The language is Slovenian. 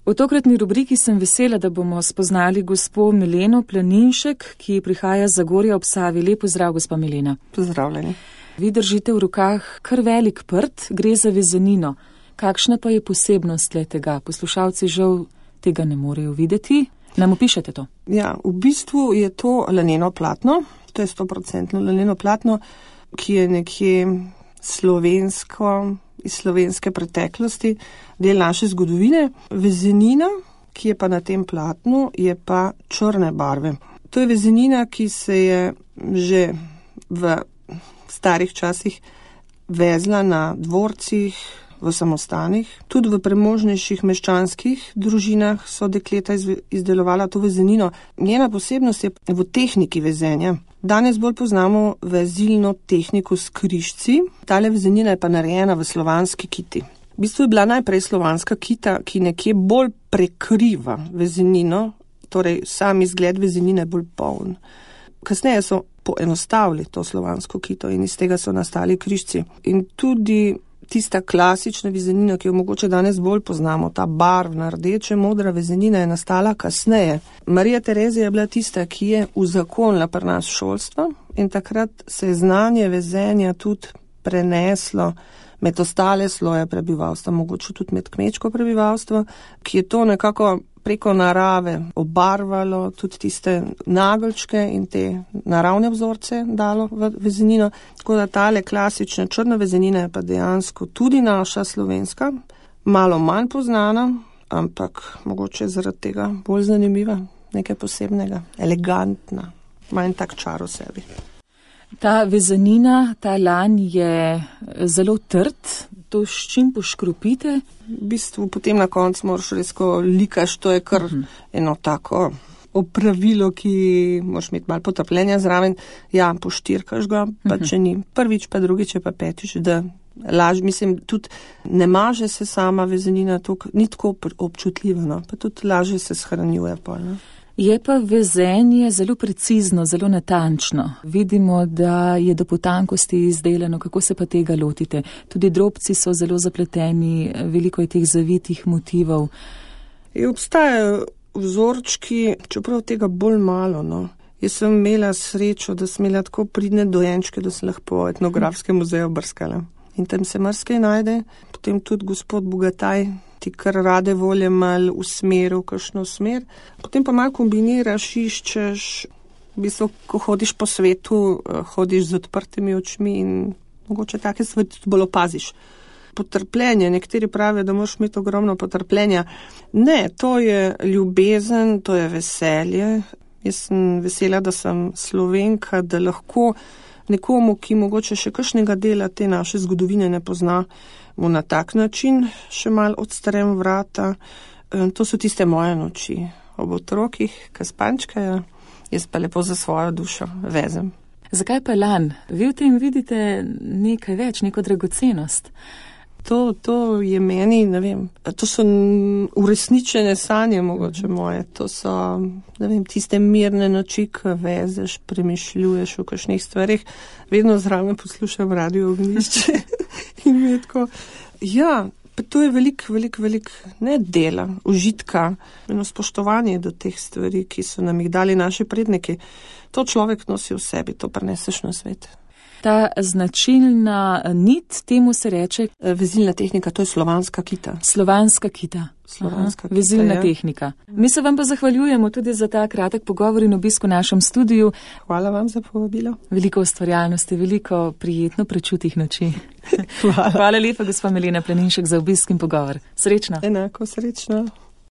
V tokratni rubriki sem vesela, da bomo spoznali gospo Mileno Planinšek, ki prihaja z Zagorja ob Savi. Lep pozdrav, gospa Milena. Pozdravljeni. Vi držite v rokah kar velik prt, gre za vezenino. Kakšna pa je posebnost tega? Poslušalci žal tega ne morejo videti. Nam opišete to? Ja, v bistvu je to laneno platno. To je 100% laneno platno, ki je nekje slovensko, iz slovenske preteklosti, del naše zgodovine. Vezenina, ki je pa na tem platnu, je pa črne barve. To je vezenina, ki se je že v starih časih vezla na dvorcih, v samostanih. Tudi v premožnejših meščanskih družinah so dekleta izdelovala to vezenino. Njena posebnost je v tehniki vezenja. Danes bolj poznamo vezilno tehniko s križci. Tale vezenina je pa narejena v slovanski kiti. V bistvu je bila najprej slovanska kita, ki nekje bolj prekriva vezenino, torej sam izgled vezenine je bolj poln. Kasneje so poenostavili to slovansko kito in iz tega so nastali križci. In tudi tista klasična vezenina, ki jo mogoče danes bolj poznamo, ta barvna, rdeče, modra vezenina je nastala kasneje. Marija Terezija je bila tista, ki je uzakonila pri nas šolstvo in takrat se je znanje vezenja tudi preneslo med ostale sloje prebivalstva, mogoče tudi med kmečko prebivalstvo, ki je to nekako preko narave obarvalo, tudi tiste nageljčke in te naravne vzorce dalo v vezenino. Tako da tale klasična črna vezenina je pa dejansko tudi naša slovenska, malo manj poznana, ampak mogoče zaradi tega bolj zanimiva, nekaj posebnega, elegantna, manj tak čar v sebi. Ta vezenina, ta lan je zelo trd. To s čim poškropite? V bistvu potem na koncu moraš res, ko likaš, to je kar eno tako opravilo, ki moraš imeti malo potrpljenja zraven. Ja, poštirkaš ga, pa če ni prvič, pa drugič, pa petič, da laž, mislim, tudi ne maže se sama vezenina, ni tako občutljiva, no, pa tudi lažje se shranjuje pol, no. Je pa vezenje zelo precizno, zelo natančno. Vidimo, da je do potankosti izdelano. Kako se pa tega lotite? Tudi drobci so zelo zapleteni, veliko je teh zavitih motivov. Obstajajo vzorčki, čeprav tega bolj malo, no. Jaz sem imela srečo, da sem imela tako pridne dojenčke, da sem lahko po etnografskem muzeju brskala. In tam se marsikaj najde. Potem tudi gospod Bogataj ti kar rade volje malo usmeril, kakšno smer. Potem pa malo kombiniraš, iščeš, v bistvu, ko hodiš po svetu, hodiš z odprtimi očmi in mogoče take stvari tudi bolj opaziš. Potrpljenje, nekateri pravijo, da moraš imeti ogromno potrpljenja. Ne, to je ljubezen, to je veselje. Jaz sem vesela, da sem Slovenka, da lahko nekomu, ki mogoče še kakšnega dela te naše zgodovine ne pozna, mu na tak način še malo odstrem vrata. To so tiste moje noči ob otrokih, ki spančkajo, jaz pa lepo za svojo dušo vezem. Zakaj pa lan? Vi v tem vidite nekaj več, neko dragocenost. To je meni, ne vem, to so uresničene sanje mogoče moje, to so, ne vem, tiste mirne noči, ko vezeš, premišljuješ v kakšnih stvarih, vedno zraven poslušam Radio Ognjišče in mi je tako, ja, pa to je velik, ne dela, užitka, eno spoštovanje do teh stvari, ki so nam jih dali naši predniki. To človek nosi v sebi, to preneseš na svet. Ta značilna nit, temu se reče vezilna tehnika, to je slovanska kita. Slovanska kita. Vezilna tehnika. Mi se vam pa zahvaljujemo tudi za ta kratek pogovor in obisk v našem studiu. Hvala vam za povabilo. Veliko ustvarjalnosti, veliko prijetno prečutih noči. Hvala. Hvala lepa, gospa Milena Planinšek, za obisk in pogovor. Srečno. Enako, srečno.